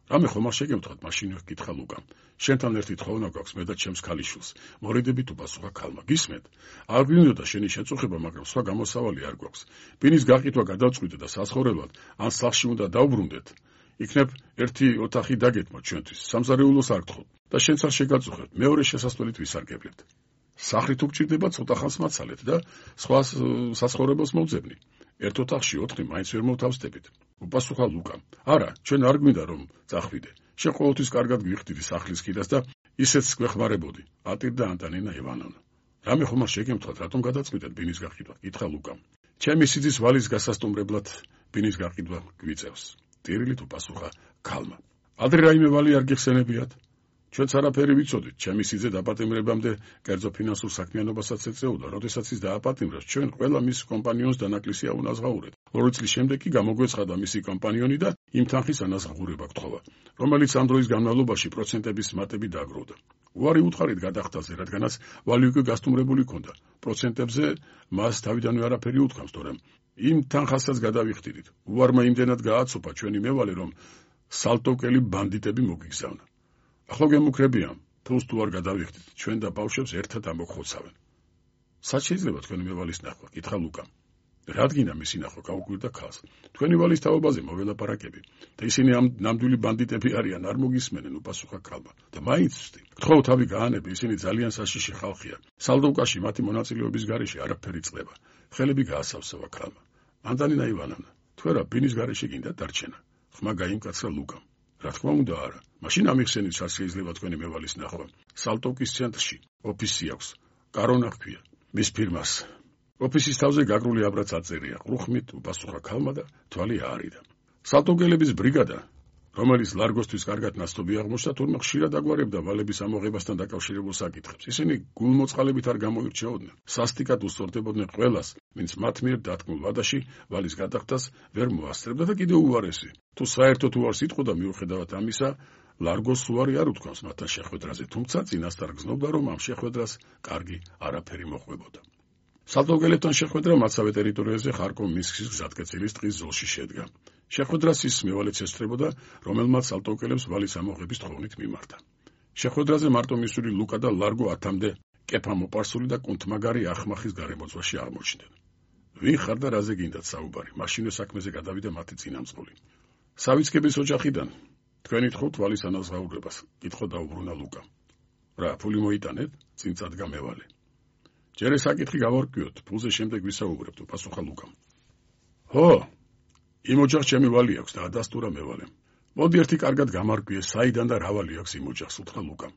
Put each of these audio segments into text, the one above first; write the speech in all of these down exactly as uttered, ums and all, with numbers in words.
რამე ხომ არ შეგემთხვათ, მაშინ ვეკითხა ლუკამ. შენთან ერთი თხოვნა გვაქვს მე და ჩემს ქალიშვილს. მორიდებით უპასუხა ქალმა. გისმენთ? არ გვინდოდა შენი შეწუხება, მაგრამ სხვა გამოსავალი არ გვაქვს. ბინის გაყიდვა გადავწყვიტე და საცხოვრებლად ან სახლში უნდა დავბრუნდეთ. იქნებ ერთი ოთახი დაგეთმოთ ჩვენთვის. სამზარეულოს არ გთხოვთ და შენც არ შეგაწუხებთ. მეორე შესასვლელით ვისარგებლეთ. სახლი თუ გჭირდება ცოტა ხანს მაცალეთ და სხვა საცხოვრებელს მოვძებნი. ერთ ოთახში ოთხი მაინც ვერ მოვთავსდებით. უპასუხა ლუკამ. არა, ჩვენ არ გვინდა რომ წახვიდე. შენ ყოველთვის კარგად გვიხდიდი სახლის ხიდას და ისეც გვეხმარებოდი. ატირდა ანტანინა ივანოვნა. რამე ხომ არ შეგემთხვათ, რატომ გადაწყვიტეთ ბინის გაყიდვა? კითხა ლუკამ. ჩემი სიძის ვალის გასასტუმრებლად ბინის გაყიდვა გვიწევს. ტირილით უპასუხა ქალმა. ადრე რაიმე ვალი არ გიხსენებიათ? ჩვენც არაფერი ვიცოდით, ჩემი სიძე დაპატიმრებამდე კერძო ფინანსურ საქმიანობასაც ეწეოდა, როდესაც ის დააპატიმრებს, ჩვენ ყველა მის კომპანიონს დანაკლისი აუნაზღაურეთ. ორი წლის შემდეგ კი გამოგვეცხადა მისი კომპანიონი და იმ თანხის ანაზღაურება გთხოვა, რომელიც ამ დროის განმავლობაში პროცენტების მატები დააგროვდა. უარი უთხარით გადახტაზე, რადგანაც ვალი უკვე გასტუმრებული ჰქონდა. პროცენტებზე მას თავიდანვე არაფერი უთქვამს, თორემ იმ თანხასაც გადავიხდიდით. უარმა იმდენად გააცოფა ჩვენი მევალე, რომ სალტოვკელი ბანდიტები მოგვიგზავნა. ახლა გემუქრებიან, თულს თუ არ გადავიხდით, ჩვენ და ბავშვებს ერთად ამოგხოცავენ. სად შეიძლება თქვენი მევალის ნახვა? კითხა ლუკამ. რადგინა მისი ნახვა გაუკვირდა ქალს. თქვენი ვალის თაობაზე მოველაპარაკები და ისინი ამ ნამდვილი ბანდიტები არიან, არ მოგისმენენ, უპასუხა ქალმა. და მაინც ვსდი. გთხოვ თავი გაანები, ისინი ძალიან საშიში ხალხია. სალდოვკაში მათი მონაწილეობის გარეშე არაფერი წყდება. ხელები გაასავსება ქალმა. ანტანინა ივანოვნა, თუ არა ბინის გარეშე გინდა დარჩენა. ხმა გაიმკაცრა ლუკამ. რა თქმა უნდა არა. მაშინ ამიხსენით, სად შეიძლება თქვენი მევალის ნახვა. სალტოვკის ცენტრში ოფისი აქვს. კარონა ჰქვია მის ფირმას. ოფისის თავზე გაგრული აბრაც აწერია. ყრუხმით უპასუხა ქალმა და თვალი აარიდა. სალტოვკელების ბრიგადა, რომელიც ლარგოსთვის კარგად ნაცნობი აღმოჩნდა, თურმე ხშირად აგვარებდა ვალების ამოღებასთან დაკავშირებულ საკითხებს. ისინი გულმოწყალებით არ გამოირჩეოდნენ. სასტიკად უსწორდებოდნენ ყველას, ვინც მათ მიერ დათქმულ ვადაში ვალის გადახდას ვერ მოასწრებდა და კიდევ უარესი. თუ საერთოდ უარს იტყოდა, მიუხედავად ამისა, ლარგოს უარი არ უთქვამს მათთან შეხვედრაზე, თუმცა წინასწარ გზნობდა, რომ ამ შეხვედრას კარგი არაფერი მოჰყვებოდა. სალტოვკელებთან შეხვედრა მაცავე ტერიტორიაზე ხარკოვ მინსკის გზატკეცილის ტყის ზოლში შედგა. შეხვედრას ის მევალეც ესწრებოდა, რომელმაც სალტოვკელებს ვალის ამოღების თხოვნით მიმართა. შეხვედრაზე მარტო მისული ლუკა და ლარგო ათამდე კეფა მოპარსული და კუნთმაგარი ახმახის გარემოძვაში აღმოჩნდნენ. ვინ ხარ და რაზე გინდათ საუბარი? მაშინვე საქმეზე გადავიდა მათი წინამძღოლი. სავიწყების ოჯახიდან თქვენი თხოვთ ვალის ანაზღაურებას, კითხო დაუბრუნა ლუკა. რა, ფული მოიტანეთ? წინ წადგა მევალე. ჯერ ეს საკითხი გავარკვიოთ, ფულზე შემდეგ ვისაუბრებთ, უპასუხა ლუკამ. ჰო, იმ ოჯახს ჩემი ვალი აქვს და ადასტურა მევალემ. მოდი ერთი კარგად გამარკვიე, საიდან და რა ვალი აქვს იმ ოჯახს, უთხრა ლუკამ.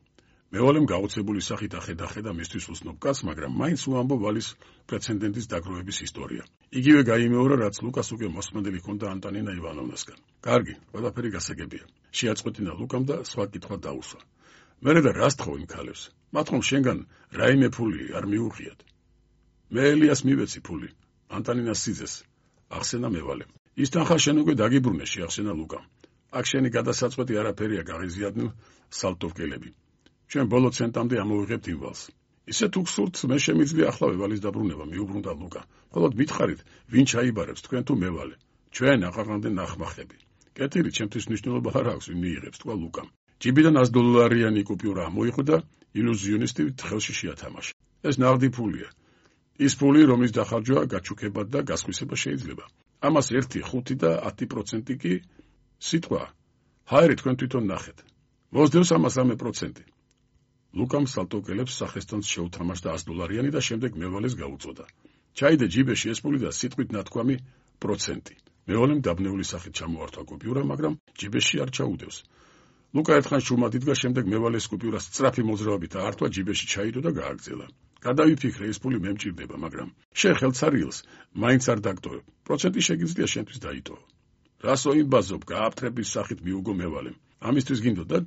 მევალემ გაოცებული სახით ახედა-ხედა მისთვის უსნობ კაცს, მაგრამ მაინც უამბო ვალის პრეცედენტის დაგროვების ისტორია. იგივე გაიმეორა, რაც ლუკას უკვე მოსმენდელი ჰქონდა ანტანინა ივანოვნასგან. კარგი, ყველაფერი გასაგებია. შეაწყვეტინა ლუკამ და სხვა კითხვა დაუსვა. მერე და რას თხოვ იმ ქალებს? მათ ხომ შენგან რაიმე ფული არ მიუღიათ? მე ელიას მივეცი ფული, ანტანინას სიძეს, ახსენა მევალემ. ის თანხა შენ უკვე დაგიბრუნე, შეახსენა ლუკამ. აქ შენი გადასაწყვეტი არაფერია, გაღიზიანდნენ სალტოვკელები. ჩვენ ბოლო ცენტამდე ამოვიღებთ იმ ვალს. ისე თუ გსურთ, მე შემიძლია ახლა ვალის დაბრუნება, მიუბრუნდა ლუკა. მხოლოდ მითხარით, ვინ ჩაიბარებს, თქვენ თუ მევალე? ჩვენ აღარამდე ნახმახები. კეთილი, ჩემთვის მნიშვნელობა არ აქვს, ვინ მიიღებს, თქვა ლუკამ. ჯიბიდან ას დოლარიანი კუპიურა მოიყო და ილუზიონისტი ხელში შეათამაშა. ეს ნაღდი ფულია. ის ფული, რომლის დახარჯვა გაჩუქებად და გასხვისება შეიძლება. ამას ერთი, ხუთი და ათი პროცენტი კი სიტყვა. ჰაერი, თქვენ თვითონ ნახეთ. მოსდევს ამას რამე პროცენტი. ლუკამ სალტოვკელებს სახესთან შეუთამაშდა ას დოლარიანი და შემდეგ მევალეს გაუწოდა. ჩაიდე ჯიბეში ეს ფული და სიტყვით ნათქვამი პროცენტი. მევალემ დაბნეული სახით ჩამოართვა კუპიურა, მაგრამ ჯიბეში არ ჩაუდევს. ლუკა ერთხან შუმად იდგა, შემდეგ მევალეს კუპიურას სწრაფი მოძრაობით აართვა, ჯიბეში ჩაიდო და გააგრძელა. გადავიფიქრე, ეს ფული მე მჭირდება, მაგრამ შენ ხელცარიელს მაინც არ დაგტოვებ. პროცენტი შეგიძლია შენთვის დაიტოვო. რასო იმბაზობ, გააფთრების სახით მიუგო მევალემ. ამისთვის გინდოდა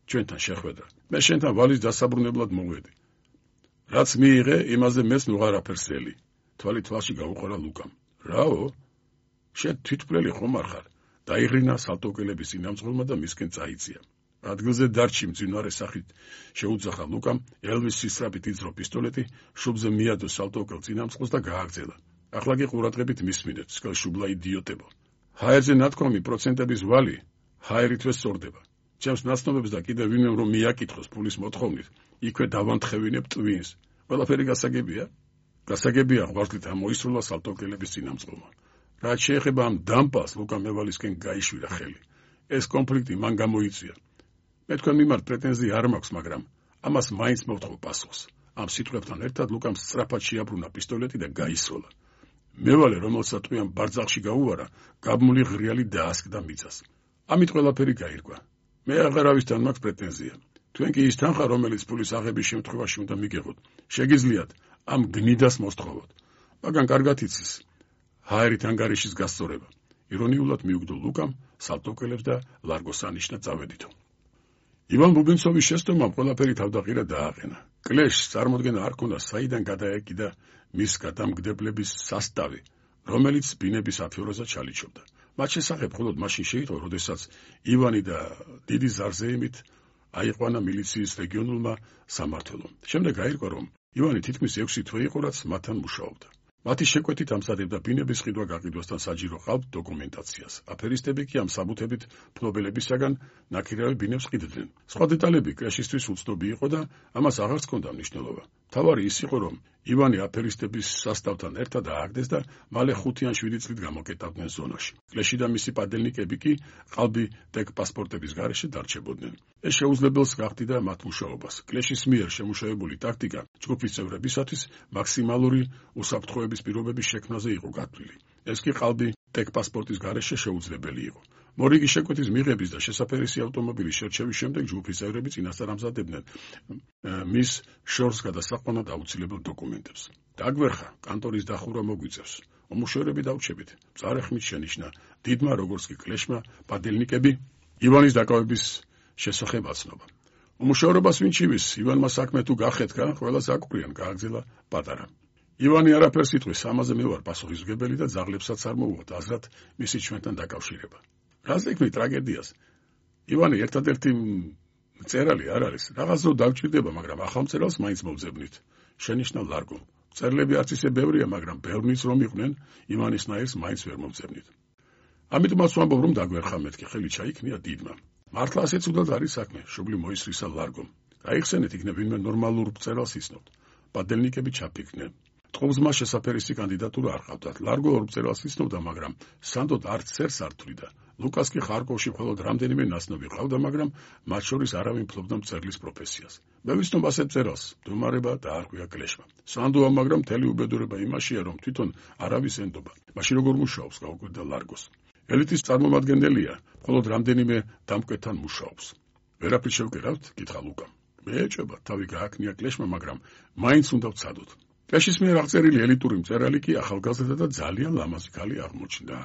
ჩვენთან შეხვედრა. მე შენთან ვალის დასაბრუნებლად მოვედი. რაც მიიღე, იმაზე მეც ვეღარაფერს ელი. თვალი თვალში გაუყარა ლუკამ. რაო? შენ თვითმკვლელი ხომ არ ხარ? დაიღრინა სალტოვკელების წინამძღოლმა და მისკენ წაიწია. ადგილზე დარჩი მძინარე სახით შეუძახა ლუკამ, ელვის სისწრაფით იძრო პისტოლეტი, შუბზე მიადო სალტოვკელ წინამძღოლს და გააგრძელა. ახლა კი ყურადღებით მისმინეთ, სკელ შუბლა იდიოტებო. ჰაერზე ნათქვამი პროცენტების ვალი, ჰაერითვე სწორდება. ჩემს ნაცნობებს და კიდევ ვინმე რომ მიაკითხოს ფულის მოთხოვნით, იქვე დავანთხევინებ ტვინს. ყველაფერი გასაგებია? გასაგებია ღვაწლით ამოისრულა სალტოკელების წინამძღოლმა. რაც შეეხება ამ დამპალს, ლუკა მევალისკენ გაიშვირა ხელი. ეს კონფლიქტი მან გამოიწვია. მე თქვენ მიმართ პრეტენზია არ მაქვს, მაგრამ ამას მაინც მოვთხოვ პასუხს. ამ სიტყვებთან ერთად ლუკამ სწრაფად შეაბრუნა პისტოლეტი და გაისროლა. მევალე, რომელსაც ტყვიან ბარძახში გაუვარა, გაბმული ღრიალი დაასკდა მიწას. ამით ყველაფერი გაირკვა. მე აღარავისთან მაქვს პრეტენზია. თქვენ კი ის თანხა, რომელიც ფულის აღების შემთხვევაში უნდა მიგეღოთ, შეგიძლიათ ამ გნიდას მოსთხოვოთ. მაგრამ კარგად იცის ჰაერით ანგარიშის გასწორება. ირონიულად მიუგდო ლუკამ სალტოკელებს და ლარგოს ანიშნა წავედითო. ივან ბუბინცოვის შესტომამ ყველაფერი თავდაყირა დააყენა. კლეშს წარმოდგენა არ ქონდა, საიდან გადაეკიდა მის გადამგდებლების სასტავი, რომელიც ბინების აფიოროზე ჩალიჩობდა. მათ შესახებ მხოლოდ მაშინ შეიტყო, როდესაც ივანი და დიდი ზარზეიმით აიყვანა მილიციის რეგიონულმა სამმართველომ. შემდეგ გაირკვა, რომ ივანი თითქმის ექვსი თვე იყო, რაც მათთან მუშაობდა. მათი შეკვეთით ამზადებდა ბინების ყიდვა-გაყიდვასთან საჯირო ყავთ დოკუმენტაციას. აფერისტები კი ამ საბუთებით ფლობელებისაგან ნაქირავი ბინებს ყიდდნენ. სხვა დეტალები კლეშისთვის უცნობი იყო და ამას აღარც ჰქონდა მნიშვნელობა. მთავარი ის იყო, რომ ივანი აფერისტების სასტავთან ერთად ააგდეს და მალე ხუთი ან შვიდი წლით გამოკეტავდნენ ზონაში. კლეში და მისი პადელნიკები კი ყალბი ტეკ პასპორტების გარეშე დარჩებოდნენ. ეს შეუძლებელს გახდიდა მათ მუშაობას. კლეშის მიერ შემუშავებული ტაქტიკა ჯგუფის წევრებისათვის მაქსიმალური უსაფრთხოების პირობების შექმნაზე იყო გათვლილი. ეს კი ყალბი ტეკ პასპორტის გარეშე შეუძლებელი იყო. მორიგი შეკვეთის მიღების და შესაფერისი ავტომობილის შერჩევის შემდეგ ჯგუფის წევრები წინასწარ ამზადებდნენ მის შორს გადასაყვანად აუცილებელ დოკუმენტებს. დაგვერხა, კანტორის დახურვა მოგვიწევს. უმუშევრები დავრჩებით. მწარე ხმით შენიშნა დიდმა როგორც კი კლეშმა პადელნიკები ივანის დაკავების შესახებ აცნობა. უმუშევრობას ვინ ჩივის, ივანმა საქმე თუ გახეთქა, ყველას აკვრიან, გააგზელა პატარა. ივანი არაფერს იტყვის, ამაზე მე ვარ პასუხისმგებელი და ძაღლებსაც არ მოვუღოთ აზრად მისი ჩვენთან დაკავშირება. რას ეკმით ტრაგედიას? ივანი ერთადერთი მწერალი არ არის. რაღაც დრო დავჭირდება, მაგრამ ახალ მწერალს მაინც მოვძებნით. შენიშნა ლარგო. მწერლები არც ისე ბევრია, მაგრამ ბევრნიც რომ იყვნენ, ივანისნაირს მაინც ვერ მოვძებნით. ამიტომაც ვამბობ, რომ დაგვერხა მეთქი, ხელი ჩაიქნია დიდმა. მართლა ასე ცუდად არის საქმე, შუბლი მოისრისა ლარგომ. გაიხსენეთ, იქნებ ვინმე ნორმალურ მწერალს იცნობთ. პადელნიკები ჩაფიქრდნენ. ტყუპზმა შესაფერისი კანდიდატურა არ ყავდათ. ლარგო ორ მწერალს იცნობდა, მაგრამ სანდოდ არც წერს არ თვლიდა. ლუკას კი ხარკოვში მხოლოდ რამდენიმე ნაცნობი ყავდა, მაგრამ მათ შორის არავინ ფლობდა მწერლის პროფესიას. მე ვიცნობ ასე მწერალს, მდგომარეობა დაარღვია კლეშმა. სანდოა, მაგრამ მთელი უბედურება იმაშია, რომ თვითონ არავის ენდობა. მაშინ როგორ მუშაობს, გაუკვირდა ლარგოს. ელიტის წარმომადგენელია, მხოლოდ რამდენიმე დამკვეთთან მუშაობს. ვერაფრით შევკერავთ? კითხა ლუკამ. მე ეჭვება, თავი გააკნია კლეშმა, მაგრამ მაინც უნდა ვცადოთ. კლეშის მიერ აღწერილი ელიტური მწერალი კი ახალგაზრდა და ძალიან ლამაზი ქალი აღმოჩნდა.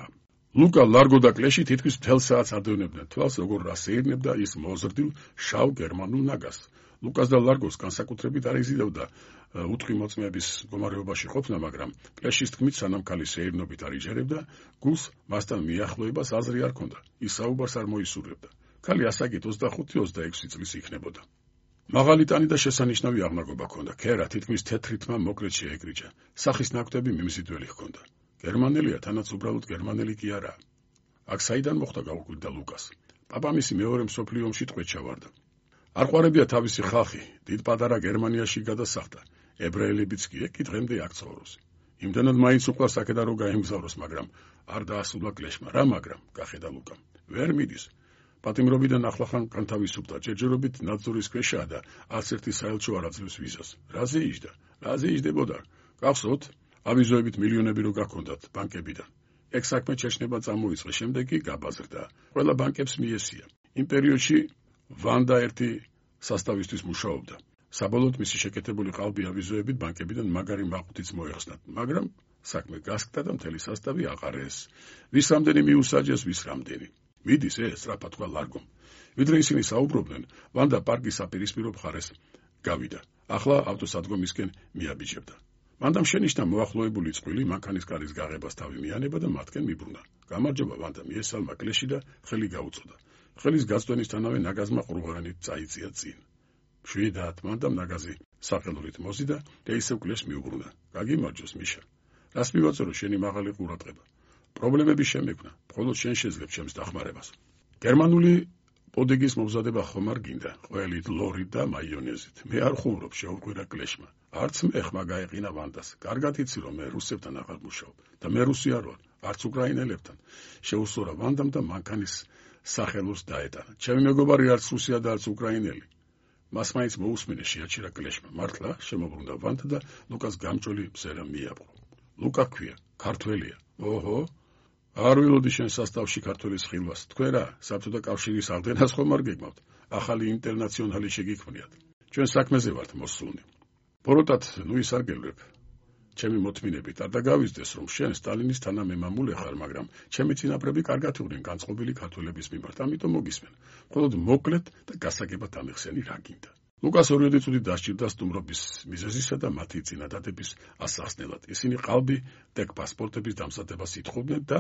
ლუკა, ლარგო და კლეში თითქმის მთელ საათს ადევნებდნენ თვალს, როგორ რასეირნებდა ის მოზრდილ შავ გერმანულ ნაგაზს. ლუკას და ლარგოს განსაკუთრებით არ იზიდავდა უთხი მოწმეების მდგომარეობაში ყოფნა, მაგრამ კლეშის თქმით, სანამ ქალი სეირნობით არ იჯერებდა, გულს მასთან მიახლოებას აზრი არ ჰქონდა. ის საუბარს არ მოისურვებდა. ქალი ასაკით ოცდახუთი ოცდაექვსი წლის იქნებოდა. მაღალი ტანი და შესანიშნავი აღნაგობა ჰქონდა. ქერა თითქმის თეთრი თმა მოკლედ შეეკრიჭა. სახის ნაკვთები მიმზიდველი ჰქონდა. გერმანელია, თანაც უბრალოდ გერმანელი კი არა. აქ საიდან მოხდა, გაუკვირდა ლუკას. პაპამისი მეორე მსოფლიო ომში ტყვედ ჩავარდა. არ ყვარებია თავისი ხალხი, დიდ პატარა გერმანიაში გადასახდა. ებრაელებიც კი კი დღემდე აქ ცხოვრობს. იმდანად მაინც უყვარს აქედან რომ გაემგზავროს, მაგრამ არ დაასრულა კლეშმა. რა მაგრამ? გახედა ლუკამ. ვერ მიდის. პატიმრობიდან ახლახან განთავისუფლდა, ჯერჯერობით ნაძვრის ქვეშაა და არც ერთი საელჩო არ აძლევს ვიზას. რაზე იჯდა? რაზე იჯდებოდა? გახსოვთ? ავიზოებით მილიონები რო გაქონდათ ბანკებიდან. ეგ საქმე ჩეჩნება წამოიწყე, შემდეგ კი გაბაზრდა. ყველა ბანკებს მიესია. იმ პერიოდში ვანდა ერთი სასტავისთვის მუშაობდა. საბოლოოდ მისი შეკეთებული ყალბი ავიზოებით ბანკებიდან მაგარი მაყუთიც მოეხსნათ, მაგრამ საქმე გასკდა და მთელი სასტავი აყარეს. ვის რამდენი მიუსაჯეს, ვის რამდენი. მიდის ეს, სწრაფად თქვა ლარგომ. ვიდრე ისინი საუბრობდნენ, ვანდა პარკის საპირისპირო მხარეს გავიდა. ახლა ავტოსადგომისკენ მიაბიჯებდა. მანდამ შენიშნა მოახლოებული წყვილი, მანქანის კარის გაღებას თავი მიანება და მათკენ მიბრუნა. გამარჯობა, ვანდა მიესალმა კლეში და ხელი გაუწოდა. ხელის გაწვენისთანავე ნაგაზმა ყრუღანით წაიწია წინ. შვიდათ, მანდამ ნაგაზი საყელურით მოზიდა და ისევ კლეშს მიუბრუნა. გაგიმარჯოს, მიშა. რას მივაწერო შენი მაღალი ყურადღება? პრობლემები შემექმნა, მხოლოდ შენ შეძლებ ჩემს დახმარებას. გერმანული პოდეგის მომზადება ხომ არ გინდა, ყველით, ლორით და მაიონეზით. მე არ ხუმრობ, შეუყვირა კლეშმა. არც მე ხმა გაეყინა ვანდას. კარგად იცი, რომ მე რუსებთან აღარ მუშაობ და მე რუსი არ ვარ, არც უკრაინელებთან. შეუსწორა ვანდამ და მანქანის სახელოს დაეტანა. ჩემი მეგობარი არც რუსია და არც უკრაინელი. მას მაინც მოусმინე შეაჩერა კლეშმა. მართლა შემოbrunდა ვანდა და ლუკას გამჭოლი მზერა მიაბყო. ლუკა ქვია, ქართველია. ოჰო, არ ვილოდი შენ სასტავში ქართველის ხილვას. თქვენ რა, საბჭოთა კავშირის აღდგენას ხომ არ გეგმავთ? ახალი ინტერნაციონალი შეგიქმნიათ. ჩვენ საქმეზე ვართ მოსულნი. ბოროტად, ნუ ის არ გელვებ. ჩემი მოთმინებით არ დაგავიძდეს, რომ შენ სტალინის თანამემამულე ხარ, მაგრამ ჩემი წინაპრები კარგად იყვნენ განწყობილი ქართველების მიმართ, ამიტომ მოგისმენ. მხოლოდ მოკლედ და გასაგებად ამეხსენი რა გინდა. ლუკას ორი წუთი დასჭირდა სტუმრობის მიზეზისა და მათი წინადადების ასახსნელად. ისინი ყალბი ტეკ პასპორტების დამზადებას ითხოვდნენ და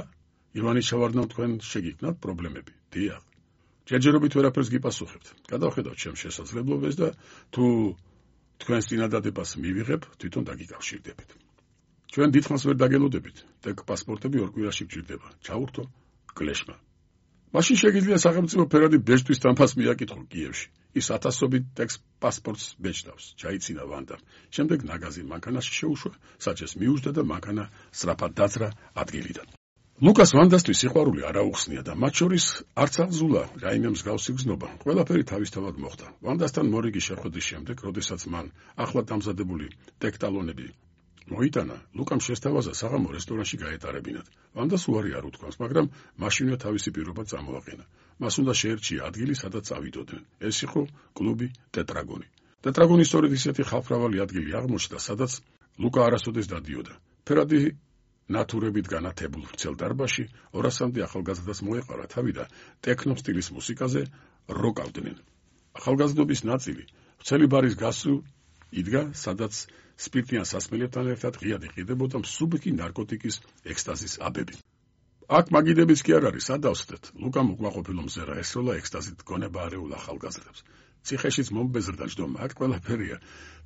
ივანის ჩავარდნამ თქვენ შეგიქმნათ პრობლემები. დიახ. ჯერჯერობით ვერაფერს გიპასუხებთ. გადავხედავთ ჩემს შესაძლებლობებს და თუ თქვენს წინადადებას მივიღებ, თვითონ დაგიკავშირდებით. ჩვენ დიდხანს ვერ დაგელოდებით. ტეკ პასპორტები ორ კვირაში გჭირდება. ჩაურთო კლეშმა. მაშინ შეგიძლია სახელმწიფო ფერადი ბეჭდვის თანხას მიაკითხო კიევში. ის ათასობით ტექს პასპორტს ბეჭდავს. ჩაიცინა ვანდამ. შემდეგ ნაგაზი მანქანაში შეუშვა, საჭეს მიუждდა და მანქანა სწრაფად დაძრა ადგილიდან. ლუკას ვანდასთვის სიყვარული არ აუხსნია და მათ შორის არც აღზულა რაიმე მსგავსი გზნობა. ყველაფერი თავისთავად მოხდა. ვანდასთან მორიგი შეხვედრის შემდეგ, როდესაც მან ახლად დამზადებული ტექტალონები მოიტანა, ლუკამ შესთავაზა საღამო რესტორანში გაეტარებინათ. ვანდას უარი არ უთქვამს, მაგრამ მაშინვე თავისი პირობა წამოაყენა. მას უნდა შეერჩია ადგილი, სადაც წავიდოდნენ. ეს იყო კლუბი ტეტრაგონი. ტეტრაგონი სწორედ ისეთი ხალხმრავალი ადგილი აღმოჩნდა, სადაც ლუკა არასოდეს დადიოდა. ფერადი ნატურებით განათებულ ვრცელ დარბაზში ორასამდე ახალგაზრდას მოეყარა თავი და ტექნო სტილის მუსიკაზე როკავდნენ. ახალგაზრდობის ნაწილი ვრცელი ბარის გასწვრივ იდგა, სადაც სპირტიან სასმელებთან ერთად ღიად იყიდებოდა მსუბუქი ნარკოტიკის ექსტაზის აბები. აქ მაგიდებიც კი არ არის, ადავსდეთ. ლუკამ უკმაყოფილო მზერა ესროლა ექსტაზით გონება არეულ ახალგაზრდებს. ციხეშიც მომბეზრდა ჯდომა, აქ ყველაფერია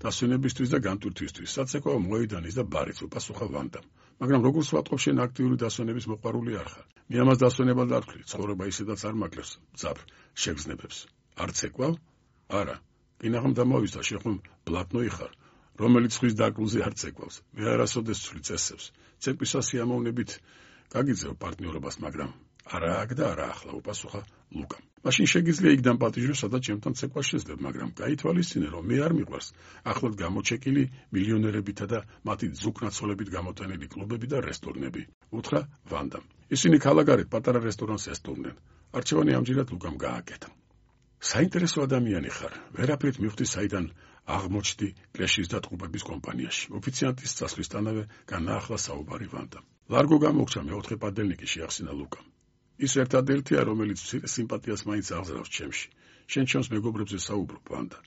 დასვენებისთვის და განტვირთვისთვის. საცეკვაო მოედანის და ბარიც უპასუხა ვანდამ. მაგრამ როგორც ვატყობ, შენ აქტიური დასვენების მოყვარული არ ხარ. მე ამას დასვენებად არ ვთვლი, ცხოვრება ისედაც არ მაკლებს მძაფრ შეგრძნებებს. არ ცეკვავ? არა. კინაღამ დამოვიზდა, შენ ხომ ბლატნოი ხარ, რომელიც ხვის დაკრულზე არ ცეკვავს. მე არასოდეს ვთვლი წესებს. ცეკვისა სიამოვნებით გაგიძევ პარტნიორობას, მაგრამ არა აქ და არა ახლა, უპასუხა ლუკამ. მაშინ შეგიძლია იქ დამპატიჟო, სადაც ჩემთან ცეკვა შეძლებ, მაგრამ გაითვალისწინე, რომ მე არ მიყვარს ახლად გამოჩეკილი მილიონერებითა და მათი ძუქნაცოლებით გამოტანილი კლუბები და რესტორნები. უთხრა ვანდამ. ისინი ქალაქგარეთ პატარა რესტორანს ესტუმრნენ. არჩევანი ამჯერად ლუკამ გააკეთა. საინტერესო ადამიანი ხარ. ვერაფრით მივხვდი, საიდან აღმოჩნდი კლეშის და ტყუპების კომპანიაში. ოფიციანტის წასვლისთანავე განაახლა საუბარი ვანდამ. ლარგო გამოგჩა მეოთხე პადელნიკი, შეახსენა ლუკამ. ის ერთადერთია, რომელიც სიმპათიას მაინც აღზრავს ჩემში. შენ ჩემს მეგობრებზე საუბრობ, ვანდა.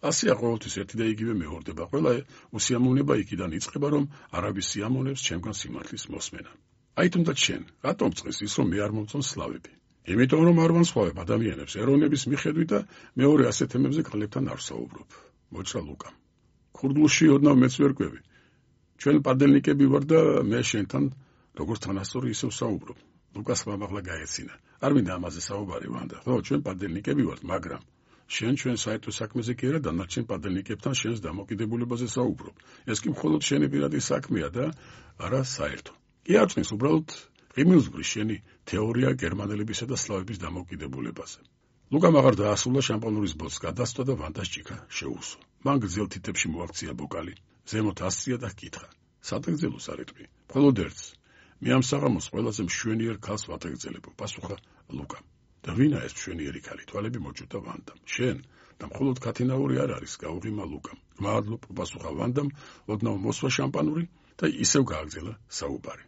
ასეა ყოველთვის ერთი და იგივე მეორდება. ყველა უსიამოვნება იქიდან იწყება, რომ არავის სიამოვნებს ჩემგან სიმართლის მოსმენა. აი თუნდაც შენ, რატომ წეს ის, რომ მე არ მომწონს სლავები? იმიტომ რომ არ ვანსხვავებ ადამიანებს ეროვნების მიხედვით და მეორე ასეთ თემებზე კლებთან არ საუბრობ. მოჭრა ლუკამ. ქურდულში ოდნავ მეც ვერ კვევი. ჩვენ პადელნიკები ვარ და მე შენთან როგორც თანასწორი ისევ საუბრობ. ლუკას მამაღლა გაეცინა. არ მინდა ამაზე საუბარი ვანდა. ხო, ჩვენ პადელნიკები ვართ, მაგრამ შენ ჩვენ საერთო საქმეზე კი არა, დანარჩენ პადელნიკებთან შენს დამოკიდებულებაზე საუბრობ. ეს კი მხოლოდ შენი პირადი საქმეა და არა საერთო. კი არ წნის უბრალოდ ღიმილსგური შენი თეორია გერმანელებისა და სლავების დამოკიდებულებაზე. ლუკამ აღარ დაასრულა შამპანურის ბოთლს გადასწვა და ვანდას ჭიქა შეუსვა. მან გრძელ თითებში მოაქცია ბოკალი, ზემოთ ასწია და ჰკითხა. სადაგზელოს არ ეტყვი? მხოლოდ ერთს. მე ამ საღამოს ყველაზე მშვენიერ ქალს ვატეგზელებო, პასუხა ლუკამ. და ვინა ეს მშვენიერი ქალი? თვალები მოჭუდა ვანდამ. შენ და მხოლოდ ქათინაური არ არის, გაუღიმა ლუკამ. მადლობ, პასუხა ვანდამ, ოდნავ მოსვა შამპანური და ისევ გააგზელა საუბარი.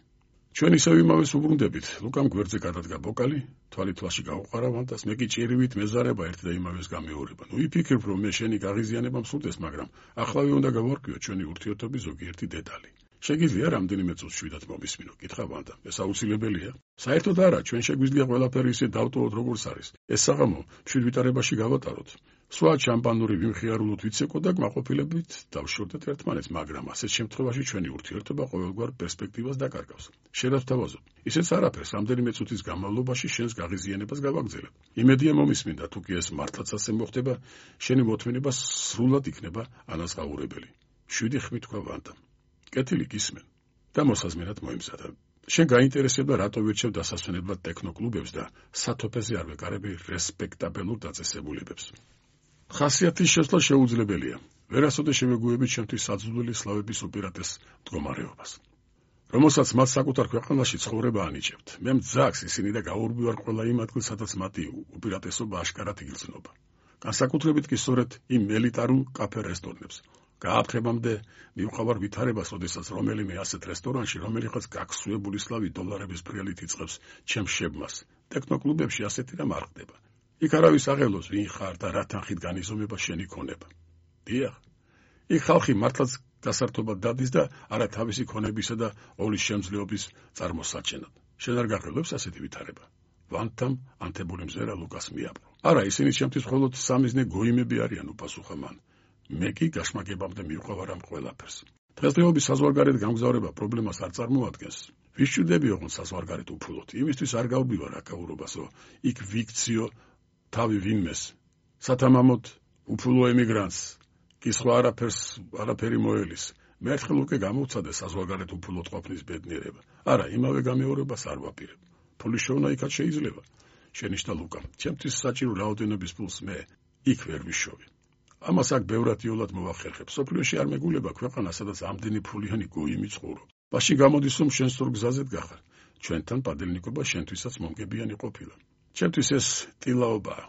ჩვენ ისევ იმავეს უბრუნდებით. ლუკამ გვერდზე გადადგა ბოკალი, თვალი თვალში გაუყარა ვანდას, მე კი ჭირივით მეზარება ერთ და იმავეს გამეორება. ნუ იფიქრებ, რომ მე შენი გაღიზიანება მსურდეს, მაგრამ ახლავე უნდა გავარკვიო ჩვენი ურთიერთობის ზოგიერთი დეტალი. შეგიძლია რამდენიმე წუთს შვიდად მომისმინო, კითხა ვანდამ. ეს აუცილებელია? საერთოდ არა, ჩვენ შეგვიძლია ყველაფერი ისე დავტოვოთ, როგორც არის. ეს საღამო შვიდ ვიტარებაში გავატაროთ. სხვა შამპანური ვიმხიარულოთ ვიცეკო და კმაყოფილებით დავშორდეთ ერთმანეთს, მაგრამ ასეთ შემთხვევაში ჩვენი ურთიერთობა ყოველგვარ პერსპექტივას დაკარგავს. შერავთავაზობ, ისეც არაფერს, რამდენიმე წუთის განმავლობაში შენს გაღიზიანებას გავაგზავნებ. იმედია მომისმინდა, თუ კი ეს მართლაც ასე მოხდება, შენი მოთმინება სრულად იქნება ანაზღაურებელი. შვიდი ხმით თქვა ვანდამ. კეთილი გისმენ და მოსაზმენად მოიმზადა. შენ გაინტერესებდა რატო ვირჩევ დასასვენებლად ტექნოკლუბებს და სათოფეზე არ ვეკარები რესპექტაბელურ დაწესებულებებს. ხასიათის შესვლა შეუძლებელია. ვერასოდეს შემეგუებით ჩემთვის საძულველი სლავების უპირატეს მდგომარეობას, რომელსაც მათ საკუთარ ქვეყანაში ცხოვრება ანიჭებთ. მე მძაგს ისინი და გაურბი ვარ ყველა იმ ადგილ, სადაც მათი უპირატესობა აშკარად იგრძნობა. განსაკუთრებით კი სწორედ იმ ელიტარულ კაფე-რესტორნებს. გააფრთხებამდე მივყავარ ვითარებას, როდესაც რომელიმე ასეთ რესტორანში რომელიღაც გაქსუებული სლავი დოლარების ფრიალით იწყებს ჩემს შებმას. ტექნოკლუბებში ასეთი რამ არ ხდება. იქ არავის აღელოს ვინ ხარ და რა თანხით განიზომება შენი ქონება. დიახ, იქ ხალხი მართლაც გასართობად დადის და არა თავისი ქონებისა და ოლის შემძლეობის წარმოსაჩენად. შენ არ გაღელვებს ასეთი ვითარება? ვანდამ ანთებული მზერა ლუკას მიაპყრო. არა, ისინი ჩემთვის მხოლოდ სამიზნე გოიმები არიან, უპასუხა მან. მე კი გაშმაგებამდე მივყავარ ამ ყველაფერს. დღესდღეობის საზღვარგარეთ გამგზავრება პრობლემას არ წარმოადგენს. ვის ჭირდება ოღონდ საზღვარგარეთ უფულოთ? იმისთვის არ გავბივარ აკაურობასო, იქ ვიქციო თავი ვინმეს. სათამამოდ უფულო ემიგრანტს კი სხვა არაფერს არაფერი მოელის. მე ერთხელ უკვე გამოვცადე საზღვარგარეთ უფულოდ ყოფნის ბედნიერება. არა, იმავე გამეორებას არ ვაპირებ. ფულის შოვნა იქაც შეიძლება. შენიშნა ლუკა. ჩემთვის საჭირო რაოდენობის ფულს მე იქ ვერ ვიშოვი. ამას აქ ბევრად იოლად მოვახერხებ. სოფლიოში არ მეგულება ქვეყანა, სადაც ამდენი ფულიანი გოიმი ცხოვრობს. მაშინ გამოდის, რომ შენ სწორ გზაზედ გახარ. ჩვენთან პადელნიკობა შენთვისაც მომგებიანი ყოფილა. ჩემთვის ეს ტილაობაა.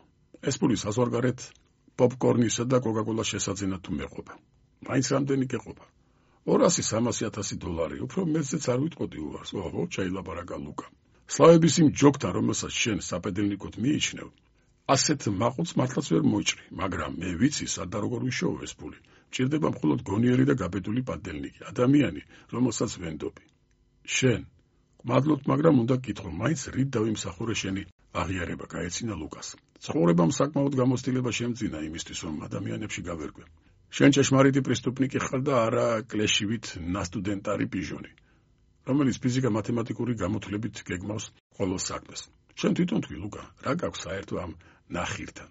ეს ფული საზღვარგარეთ პოპკორნისა და კოკაკოლას შესაძენად თუ მეყოფა. მაინც რამდენი გეყოფა? ორასი სამასი ათასი დოლარი, უფრო მეტზეც არ ვიტყოდი უარს. ოღო, ჩაილაბარაკა ლუკა. სლავების იმ ჯოგთან, რომელსაც შენ საპედელნიკოდ მიიჩნევ, ასეთ მაყურს მართლაც ვერ მოიჭრი, მაგრამ მე ვიცი, სად და როგორ ვიშოვო ეს ფული. მჭირდება მხოლოდ გონიერი და გაბედული პადელნიკი, ადამიანი, რომელსაც ვენდობი. შენ, მადლობთ, მაგრამ უნდა გკითხო, მაინც რით დავიმსახურე შენი აღიარება, გაეცინა ლუკას. ცხოვრებამ საკმაოდ გამოცდილება შემძინა იმისთვის, რომ ადამიანებში გავერკვე. შენ ჭეშმარიტი პრესტუპნიკი ხარ და არა კლეშივით ნასტუდენტარი პიჟონი, რომელიც ფიზიკა-მათემატიკური გამოთვლებით გეგმავს ყოველ საქმეს. შენ თვითონ თქვი, ლუკა, რა გაქვს საერთო ამ ნახირთან?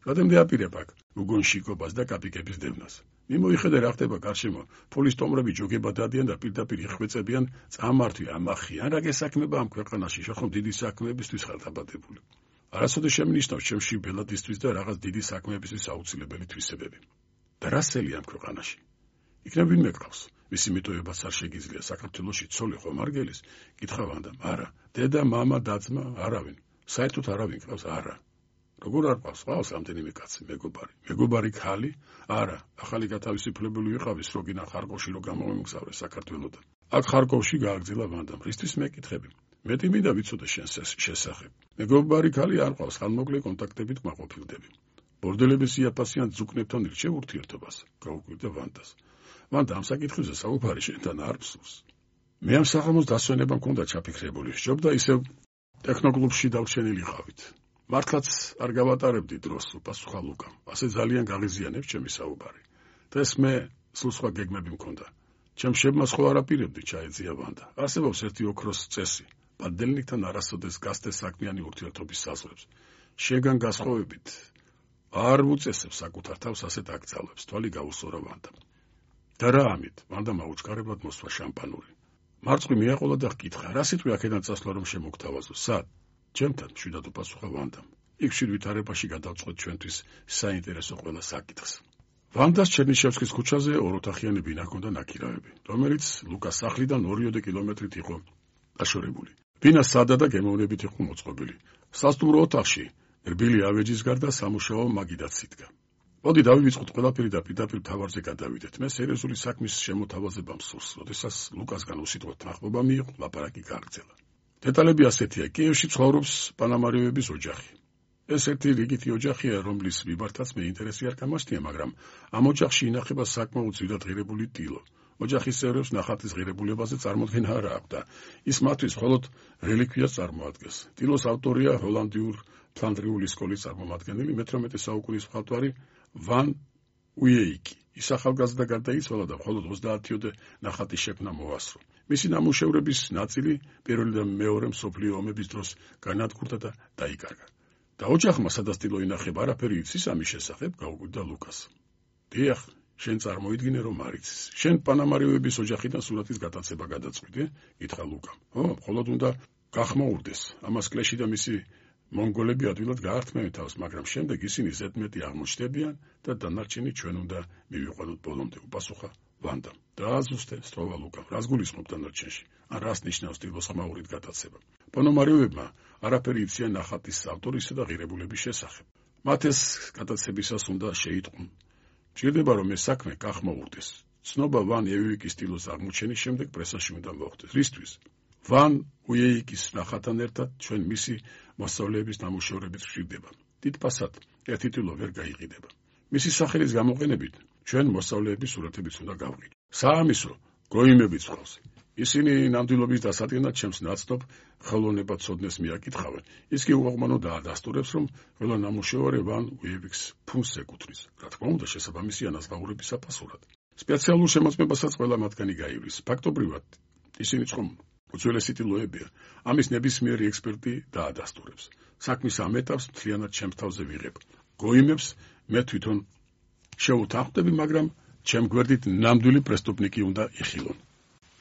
რადგან დეაპირებ აქ უგონშიკობას და კაპიკების დევნას. მიმოიხედე რა ხდება გარშემო. ფულის ტომრები ჯოგება დადიან და პირდაპირ იხვეწებიან წამართვი ამახიან. რა გესაქმება ამ ქვეყანაში? შეხომ დიდი საქმეებისთვის ხარ დაბადებული. არასოდეს შემნიშნავს ჩემში ბელადისთვის და რაღაც დიდი საქმეებისთვის აუცილებელი თვისებები. და რა სელი ამ ქვეყანაში? იქნებ ვინმე გყავს? მისი მიტოვებაც არ შეგიძლია. საქართველოში ცოლი ხომ არ გელის? კითხა ვანდამ. არა, დედა, მამა, და-ძმა, არავინ. საერთოდ არავინ გყავს? არა. როგორ არ ყავს? ყავს რამდენიმე კაცი, მეგობარი. მეგობარი ქალი? არა, ახალი გათავისუფლებული ვიყავი სროგინა ხარკოვში რომ გამომიმგზავრე საქართველოდან. აქ ხარკოვში გააგრძელა ვანდამ. რისთვის მეკითხები? მეტი მინდა ვიცოდე შენს შესახებ. მეგობარი ქალი არ ყავს, ხანმოკლე კონტაქტებით მაყოფილდები. ბორდელების იაფასიან ძუკნებთან ირჩევ ურთიერთობას. გაუკვირდა ვანდას. ვანდა ამ საკითხებზე საუბარი შენთან არ მსურს. მე ამ საღამოს დასვენება მქონდა ჩაფიქრებული. სჯობდა ისევ ტექნოკლუბში დავჩენილიყავით. მართლაც არ გავატარებდი დროს, უპასუხა ლუკამ. ასე ძალიან გაღიზიანებს ჩემი საუბარი. დღეს მე სულ სხვა გეგმები მქონდა. ჩემ შებმას ხო არ აპირებდი, ჩაეძია ვანდა. არსებობს ერთი ოქროს წესი. პადელნიკთან არასოდეს გასდე საქმიანი ურთიერთობის საზღვრებს. შეგან გასხოვებით არ უწესებს საკუთარ თავს ასეთ აკრძალვებს. თვალი გაუსწორა ვანდამ. და რა ამით? ვანდა მაუჩქარებლად მოსვა შამპანური. მარწყვი მიაყოლა და ჰკითხა, რა სიტყვი აქედან წასვლა რომ შემოგთავაზო? სად? ჩემთან, მშვიდად უპასუხა ვანდამ. იქ მშვიდ ვითარებაში გადავწყვეტ ჩვენთვის საინტერესო ყველა საკითხს. ვანდას ჩერნიშევსკის ქუჩაზე ოროთახიანი ბინა ჰქონდა ნაქირავები, რომელიც ლუკას სახლიდან ორიოდე კილომეტრით იყო დაშორებული. ბინა სადა და გემოვნებით იყო მოწყობილი. სასტუმრო ოთახში რბილი ავეჯის გარდა სამუშაო მაგიდაც იდგა. მოდი დავივიწყოთ ყველაფერი და პირდაპირ მთავარზე გადავიდეთ. მე სერიოზული საქმის შემოთავაზება მსურს, როდესაც ლუკასგან უსიტყვო თანხმობა მიიღო, ლაპარაკი გააგრძელა. დეტალები ასეთია. კიევში ცხოვრობს პანამარიოების ოჯახი. ეს ერთი რიგითი ოჯახია, რომლის მიმართაც მე ინტერესი არ გამასტია, მაგრამ ამ ოჯახში ინახება საკმაოდ ძვირად ღირებული ტილო, ოჯახის წევრებს ნახატის ღირებულებაზე წარმოდგენა არ აქვს და ის მათთვის მხოლოდ რელიკვიას წარმოადგენს. ტილოს ავტორია ჰოლანდიურ ფლანდრიული სკოლის წარმომადგენელი მეთერთმეტე საუკუნის მხატვარი ვან უეიკი. ის ახალგაზრდა გარდაიცვალა და მხოლოდ ოცდაათიოდე ნახატის შექმნა მოასწრო. მისი ნამუშევრების ნაწილი პირველი და მეორე მსოფლიო ომების დროს განადგურდა და დაიკარგა. და ოჯახმა სადასტილო ინახება არაფერი იცის ამის შესახებ, გაუკვირდა ლუკას. დიახ, შენ წარმოიდგინე რომ არ იცის. შენ პანამარიოების ოჯახიდან სურათის გატაცება გადაწყვიტე? ითხრა ლუკამ. ო, მხოლოდ უნდა გახმაურდეს. ამას კლეში და მისი მონგოლები ადვილად გაართმევენ თავს, მაგრამ შემდეგ ისინი ზედმეტი აღმოჩნდებიან და დანარჩენი ჩვენ უნდა მივიყვანოთ ბოლომდე, უპასუხა ვანდამ. დააზუსტე, სწრაფა ლუკამ. რას გულისხმობ დანარჩენში? ან რას ნიშნავს ტილოს ხმაურით გატაცება? პანამარიოებმა არაფერი იციან ნახატის ავტორისა და ღირებულების შესახებ. მათ ეს გატაცებისას უნდა შეიტყούν. ჭირდება რომ ეს საქმე გახმაურდეს. ცნობა ვან უეიკის ტილოს აღმოჩენის შემდეგ პრესაში უნდა მოხვდეს. რისთვის? ვან უეიკის ნახატთან ერთად ჩვენ მისი მოსწავლეების ნამუშევრებიც გვჭირდება. დიდფასად ერთი ტილო ვერ გაიყიდება. მისი სახელის გამოყენებით ჩვენ მოსწავლეების სურათებიც უნდა გავყიდოთ. საამისო გოიმებიც ყავს. ისინი ნამდვილობის დასადგენად ჩემს ნაცნობ ხელოვნებაცოდნეს მიაკითხავენ. ის კი უაღმანო დაადასტურებს, რომ ყველა ნამუშევარი ვან უეიკის ფუნს ეკუთვნის. რა თქმა უნდა, შესაბამისი ანაზღაურების საფასურად. სპეციალურ შემოწმებასაც ყველა მათგანი გაივლის. ფაქტობრივად ისინი წყომ უძველესი ტილოებია. ამის ნებისმიერი ექსპერტი დაადასტურებს. საქმის ამ ეტაპს მთლიანად ჩემს თავზე ვიღებ. გოიმებს მე თვითონ შევუთანხმდები, მაგრამ ჩემ გვერდით ნამდვილი პრესტუპნიკი უნდა იხილონ.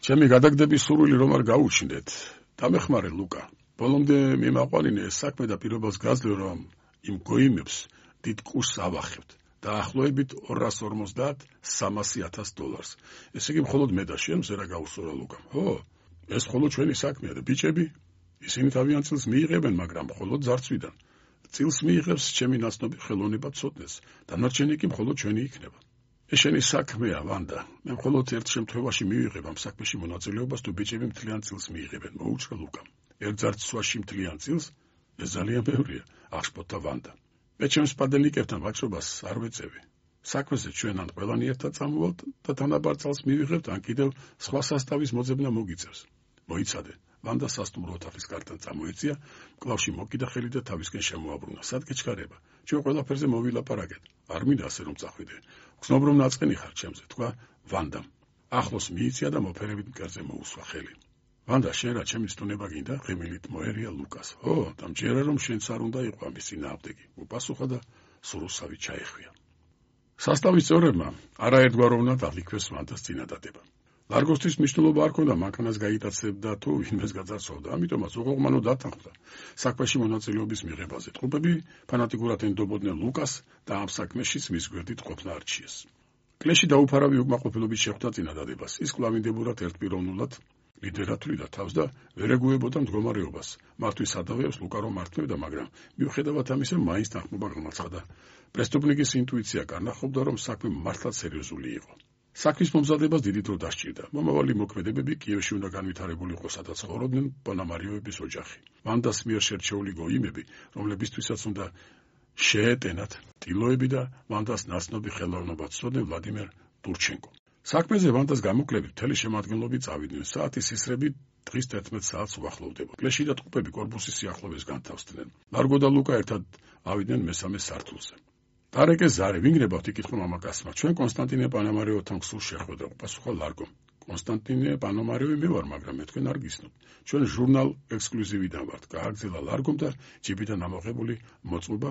ჩემი გადაგდების სურვილი რომ არ გაუჩნდეთ. დამეხმარე ლუკა. ბოლომდე მიმაყვანინე ეს საქმე და პირობას გაძლევ, რომ იმ გოიმებს დიდ კურსს ავახებთ. დაახლოებით ორას ორმოცდაათ სამასი ათას დოლარს. ესე იგი მხოლოდ მე და შენ ზერა გაუსწორა ლუკამ. ხო, ეს მხოლოდ ჩვენი საქმეა და ბიჭები, ისინი თავიანთ წილს მიიღებენ, მაგრამ მხოლოდ ზარცვიდან. წილს მიიღებს ჩემი ნაცნობი ხელოვნებაცოდნეს, დანარჩენი კი მხოლოდ ჩვენი იქნება. ეს შენი საქმეა, ვანდა. მე მხოლოდ ერთ შემთხვევაში მივიღებ ამ საქმეში მონაწილეობას, თუ ბიჭები მთლიან წილს მიიღებენ, მოუჭრა ლუკამ. ერთ ზარცვაში მთლიან წილს, ეს ძალიან ბევრია, აღშფოთდა ვანდა. მე ჩემს პადელიკებთან ვაჭრობას არ ვეწევი. საქმეზე ჩვენ ან ყველანი ერთად წამოვალთ და თანაბარ წალს მივიღებთ, ან კიდევ სხვა სასტავის მოძებნა მოგიწევს. მოიცადე. ვანდა სასტუმრო ოთახის კართან წამოეწია, კლავში მოკიდა ხელი და თავისკენ შემოაბრუნა. სად გეჩქარება? ჩვენ ყველაფერზე მოვილაპარაკეთ. არ მინდა ასე რომ წახვიდე. გრძნობ რომ ნაწყენი ხარ ჩემზე, თქვა ვანდამ. ახლოს მიიწია და მოფერებით მკერდზე მოუსვა ხელი. ვანდა, შენ რა ჩემი სტუნება გინდა? ღიმილით მოერია ლუკას. ო, და მჯერა რომ შენც არ უნდა იყო ამის წინააღმდეგი. უპასუხა და სურუსავი ჩაეხვია. სასტავის წევრებმა არაერთგვაროვნად აღიქვეს ვანდას წინადადება. ლარგოსთვის მნიშვნელობა არ ქონდა მანქანას გაიტაცებდა თუ ვინმეს გაძარცვავდა, ამიტომაც უღმანო დათანხმდა საქმეში მონაწილეობის მიღებაზე. ტყუპები ფანატიკურად ენდობოდნენ ლუკას და ამ საქმეშიც მის გვერდით ყოფნა არჩიეს. კლეში დაუფარავი უკმაყოფილობით შეხვდა წინადადებას. ის კვლავინდებურად ერთპიროვნულად ლიდერად თვლიდა თავს და ვერ ეგუებოდა მდგომარეობას. მართვის ადავეებს ლუკა რომ მართმევდა, მაგრამ მიუხედავად ამისა მაინც თანხმობა გამაცხადა. პრესტუპნიკის ინტუიცია კარნახობდა, რომ საქმე მართლაც სერიოზული იყო. საქმის მომზადებას დიდი დრო დასჭირდა. მომავალი მოქმედებები კიევში უნდა განვითარებულიყო, სადაც ცხოვრობდნენ პანამარიოების ოჯახი. ვანდას მიერ შერჩეული გოიმები, რომლებისთვისაც უნდა შეეტენათ ტილოები და ვანდას ნაცნობი ხელოვნებაცოდნე ვლადიმერ ტურჩენკო. საქმეზე ვანდას გამოკლებით მთელი შემადგენლობი წავიდნენ. საათის ისრები დღის თერთმეტ საათს უახლოვდება. კლეში და ტყუპები კორპუსის სიახლოვეს განთავსდნენ. ლარგო და ლუკა ერთად ავიდნენ მესამე სართულზე. დარეკე ზარე, ვინგრებავთ, იკითხა მამაკაცმა. ჩვენ კონსტანტინე პანამარიოვთან გსულ შეხვედრა, უპასუხა ლარგომ. კონსტანტინე პანამარიოვი მე ვარ, მაგრამ მე თქვენ არ გისნობთ. ჩვენ ჟურნალ ექსკლუზივიდან ვართ. გააგრძელა ლარგომ და ჯიბიდან ამოღებული მოწმობა,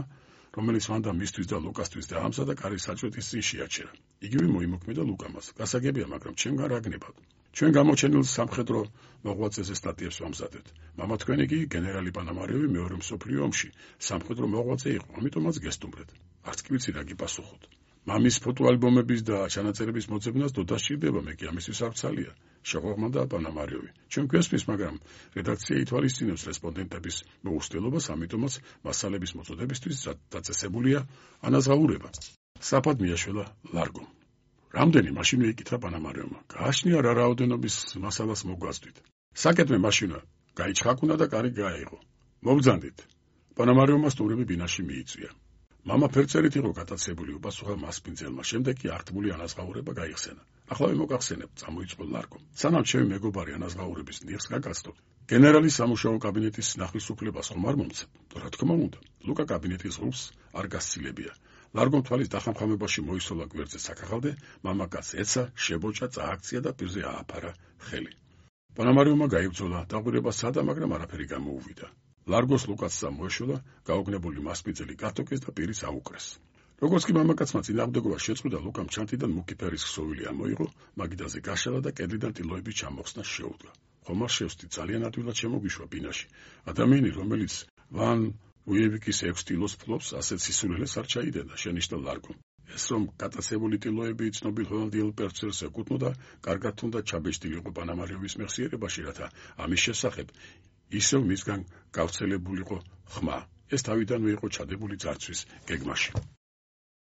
რომელიც ვანდა მისთვის და ლუკასთვის დაამზადა კარის საჭვეთის წინ შეაჩერა. იგივე მოიმოქმედა ლუკამას. გასაგებია, მაგრამ ჩემგან რა გნებავთ? ჩვენ გამოჩენილ სამხედრო მოღვაწეზე სტატიებს ვამზადებთ. მამა თქვენი კი გენერალი პანამარიოვი მეორე მსოფლიო ომში სამხედრო მოღვაწე იყო, ამიტომაც გესტუმრეთ. არც კი ვიცი რა გიპასუხოთ. მამის ფოტოალბომების და ჩანაწერების მოძებნას დოდა სჭირდება, მე კი ამისთვის არ ვცალია. შეღვაღმდა პანამარიოვი. ჩვენ გვესმის, მაგრამ რედაქცია ითვალისწინებს რესპონდენტების მოუსწელობას, ამიტომაც მასალების მოწოდებისთვის დაწესებულია ანაზღაურება. საფად მიაშველა ლარგომ. რამდენი მაშინ ეკითხა პანამარიოვმა. გააჩნია რა რაოდენობის მასალას მოგვასწვით. საკეთმე მაშინა გაიჩხაკუნა და კარი გაეიღო. მობძანდით. პანამარიოვმა სტურები ბინაში მიიწვია. მამა ფერწერით იყო გატაცებული, უპასუხა მასპინძელმა, შემდეგ კი აღთმული ანაზღაურება გაიხსენა. ახლა მოგახსენებ, წამოიწყო ლარგომ. სანამ ჩემი მეგობარი ანაზღაურების ნიღს გაგაცდოთ, გენერალის სამუშაო კაბინეტის ნახვის ხომ არ მომცემ? რა თქმა უნდა, ლუკა კაბინეტის ღრუბლს არ გასცილებია. ლარგომ თვალის დახამხამებაში მოისოლა გვერდზე საქაღალდე, მამა კაცს ეცა, შებოჭა, წააქცია და პირზე ააფარა ხელი. პანამარიუმმა გაიბრძოლა, დაგვირება სადა, მაგრამ არაფერი გამოუვიდა. ლარგოს ლუკასსა მოეშოლა, გაოგნებული მასპინძელი გათოკეს და პირის აუკრეს. როგორც კი მამაკაცმა წინააღმდეგობა შეწყვიტა, ლუკამ ჩანთიდან მუქი ფერის ქსოვილი ამოიღო, მაგიდაზე გაშალა და კედლიდან ტილოების ჩამოხსნა შეუდგა. ხომ არ შევსდი, ძალიან ადვილად შემოგიშვა ბინაში. ადამიანი, რომელიც ვან უიევიკის ექვს ტილოს ფლობს, ასეთ სისულელეს არ ჩაიდედა, შენიშნა ლარგომ. ეს რომ გატაცებული ტილოები ცნობილ ჰოლანდიელ პერცელს ეკუთვნოდა, კარგად თუნდა ჩაბეჭდილი იყო პანამარიუმის მეხსიერებაში, რათა ამის შესახებ ისევ მისგან გავრცელებულიყო ხმა. ეს თავიდანვე იყო ჩადებული ძარცვის გეგმაში.